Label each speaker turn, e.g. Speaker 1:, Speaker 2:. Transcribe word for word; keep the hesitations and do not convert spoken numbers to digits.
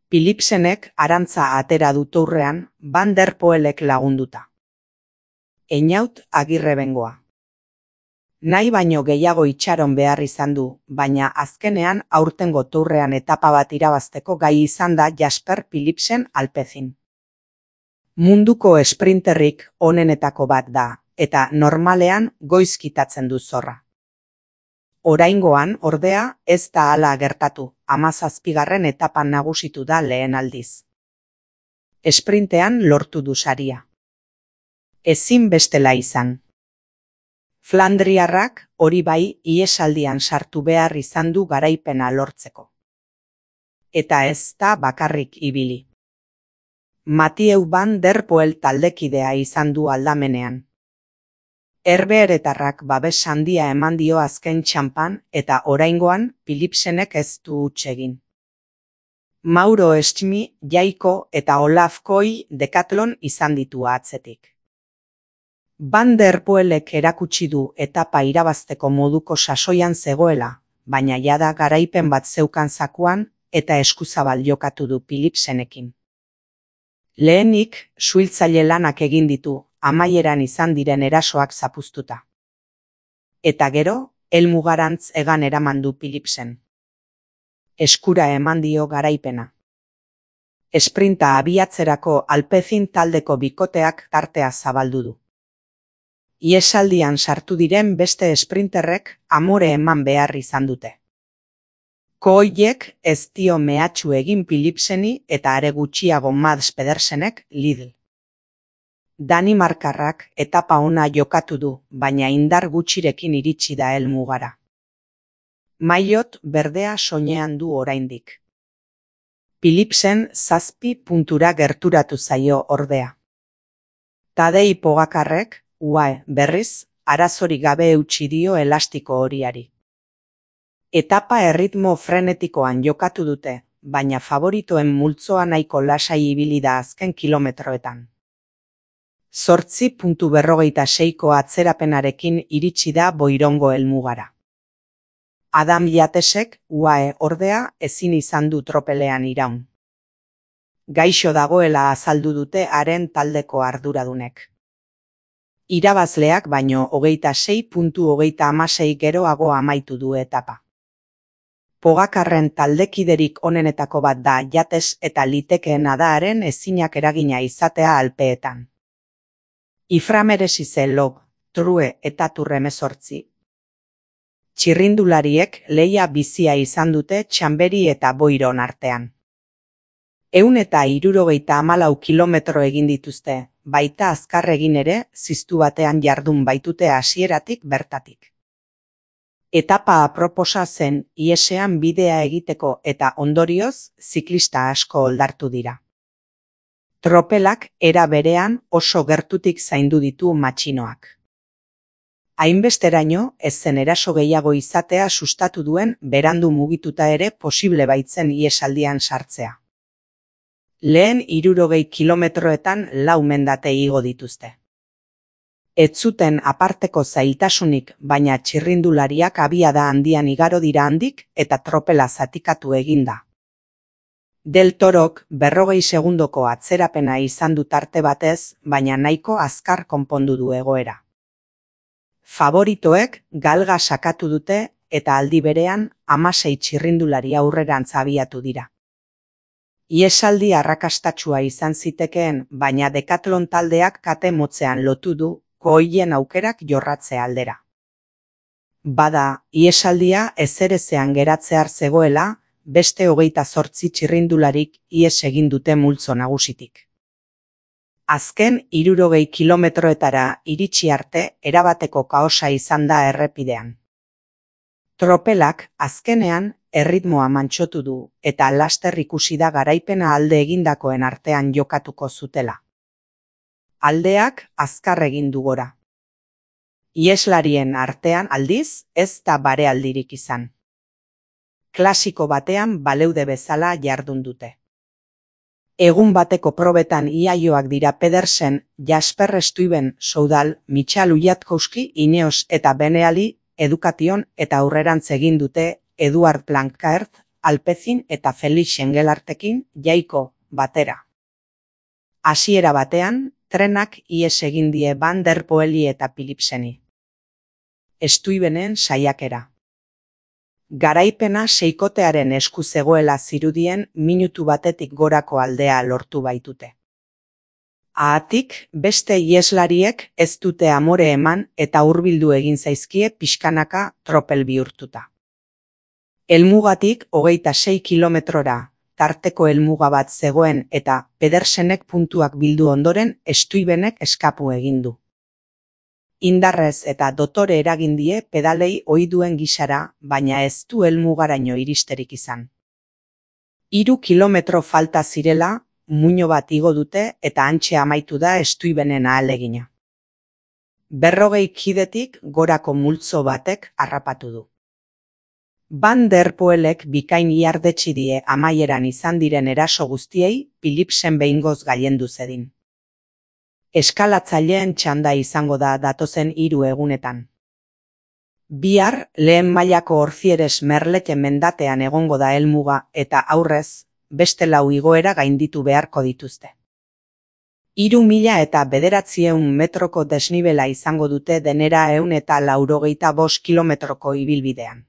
Speaker 1: Philipsenek arantza atera du tourrean Van der Poelek lagunduta. Einaut Agirrebengoa. Nahi baino gehiago itxaron behar izan du, baina azkenean aurtengo tourrean etapa bat irabazteko gai izan da Jasper Philipsen Alpecin. Munduko esprinterrik onenetako bat da, eta normalean goiz kitatzen du zorra. Oraingoan, ordea, ez da hala gertatu, hamazazpigarren etapan nagusitu da lehen aldiz. Esprintean lortu du saria. Ezin bestela izan. Flandriarrak hori bai ihesaldian sartu behar izan du garaipena lortzeko. Eta ez da bakarrik ibili. Mathieu Van der Poel taldekidea izan du aldamenean. Herbeheretarrak babes handia eman dio azken txanpan eta oraingoan Philipsenek ez du huts egin. Mauro Estimi, Jaiko eta Olaf Koy Decathlon izan ditu atzetik. Van der Poelek erakutsi du etapa irabazteko moduko sasoian zegoela, baina jada garaipen bat zeukan zakuan eta eskuzabal jokatu du Philipsenekin. Lehenik, suhiltzaile lanak egin ditu, amaieran izan diren erasoak zapuztuta. Eta gero, helmugarantz egan eraman du Philipsen. Eskura eman dio garaipena. Esprinta abiatzerako Alpecin taldeko bikoteak tartea zabaldu du. Iesaldian sartu diren beste esprinterrek amore eman behar izan dute. Koiek ez dio mehatxu egin Philipseni eta are gutxiago Mads Pedersenek Lidl. Danimarkarrak etapa ona jokatu du, baina indar gutxirekin iritsi da helmugara. Maillot berdea soinean du oraindik. Philipsen zazpi puntura gerturatu zaio ordea. Tadej Pogacarrek, U A E berriz, arazorik gabe eutsi dio elastiko horiari. Etapa erritmo frenetikoan jokatu dute, baina favoritoen multzoa nahiko lasai ibili da azken kilometroetan. Zortzi puntu berrogeita seiko atzerapenarekin iritsi da Boirongo helmugara. Adam Yatesek, U A E ordea, ezin izan du tropelean iraun. Gaixo dagoela azaldu dute haren taldeko arduradunek. Irabazleak baino hogeita sei puntu hogeita hamasei geroago amaitu du etapa. Pogakarren taldekiderik onenetako bat da Yates eta litekeena da haren ezinak eragina izatea Alpeetan. Iframeresize Log, True eta Turremezortzi. Txirrindulariek lehia bizia izan dute Txanberi eta Boiron artean. Ehun eta hirurogeita hamalau kilometro egin dituzte, baita azkar egin ere, ziztu batean jardun baitute hasieratik bertatik. Etapa aproposa zen iesean bidea egiteko eta ondorioz ziklista asko oldartu dira. Tropelak era berean oso gertutik zaindu ditu matxinoak. Hainbesteraino ez zen eraso gehiago izatea sustatu duen berandu mugituta ere posible baitzen iesaldian sartzea. Lehen hirurogei kilometroetan lau mendate igo dituzte. Ez zuten aparteko zailtasunik, baina txirrindulariak abiada handian igaro dira handik eta tropela zatikatu eginda. Del Torok berrogei segundoko atzerapena izan du tarte batez, baina nahiko azkar konpondu du egoera. Favoritoek galga sakatu dute eta aldi berean hamasei txirrindulari aurrerantz abiatu dira. Iesaldi arrakastatsua izan zitekeen, baina Decathlon taldeak kate motzean lotu du Koien aukerak jorratze aldera. Bada, iesaldia ezerezean geratzear zegoela, beste hogeita zortzi txirrindularik ies egin dute multzo nagusitik. Azken hirurogei kilometroetara iritsi arte erabateko kaosa izan da errepidean. Tropelak azkenean erritmoa mantsotu du eta laster ikusi da garaipena alde egindakoen artean jokatuko zutela. Aldeak azkar egin du gora. Ieslarien artean aldiz ez da barealdirik izan. Klasiko batean baleude bezala jardun dute. Egun bateko probetan iaioak dira Pedersen, Jasper Stuyven, Soudal, Michal Ujatkowski, Ineos eta Beneali, Education eta aurrerantz egin dute Eduard Planckaert, Alpezin eta Felix Engelartekin jaiko batera. Hasiera batean, trenak ihes egin die Van der Poeli eta Philipseni. Stuyvenen saiakera. Garaipena seikotearen esku zegoela zirudien minutu batetik gorako aldea lortu baitute. Haatik, beste iheslariek ez dute amore eman eta hurbildu egin zaizkie pixkanaka tropel bihurtuta. Helmugatik hogeita sei kilometrora tarteko helmuga bat zegoen eta Pedersenek puntuak bildu ondoren Stuyvenek eskapu egin du. Indarrez eta dotore eragin die pedalei ohi duen gisara, baina ez du helmugaraino iristerik izan. Hiru kilometro falta zirela, muino bat igo dute eta hantxe amaitu da Stuyvenen ahalegina. Berrogei kidetik gorako multzo batek harrapatu du. Van der Poelek bikain ihardetsi die amaieran izan diren eraso guztiei Philipsen behingoz gailendu zedin. Eskalatzaileen txanda izango da datozen hiru egunetan. Bihar lehen mailako Orfieres Merlete mendatean egongo da helmuga eta aurrez, beste lau igoera gainditu beharko dituzte. Hiru mila eta bederatziehun metroko desnibela izango dute denera ehun eta laurogeita bost kilometroko ibilbidean.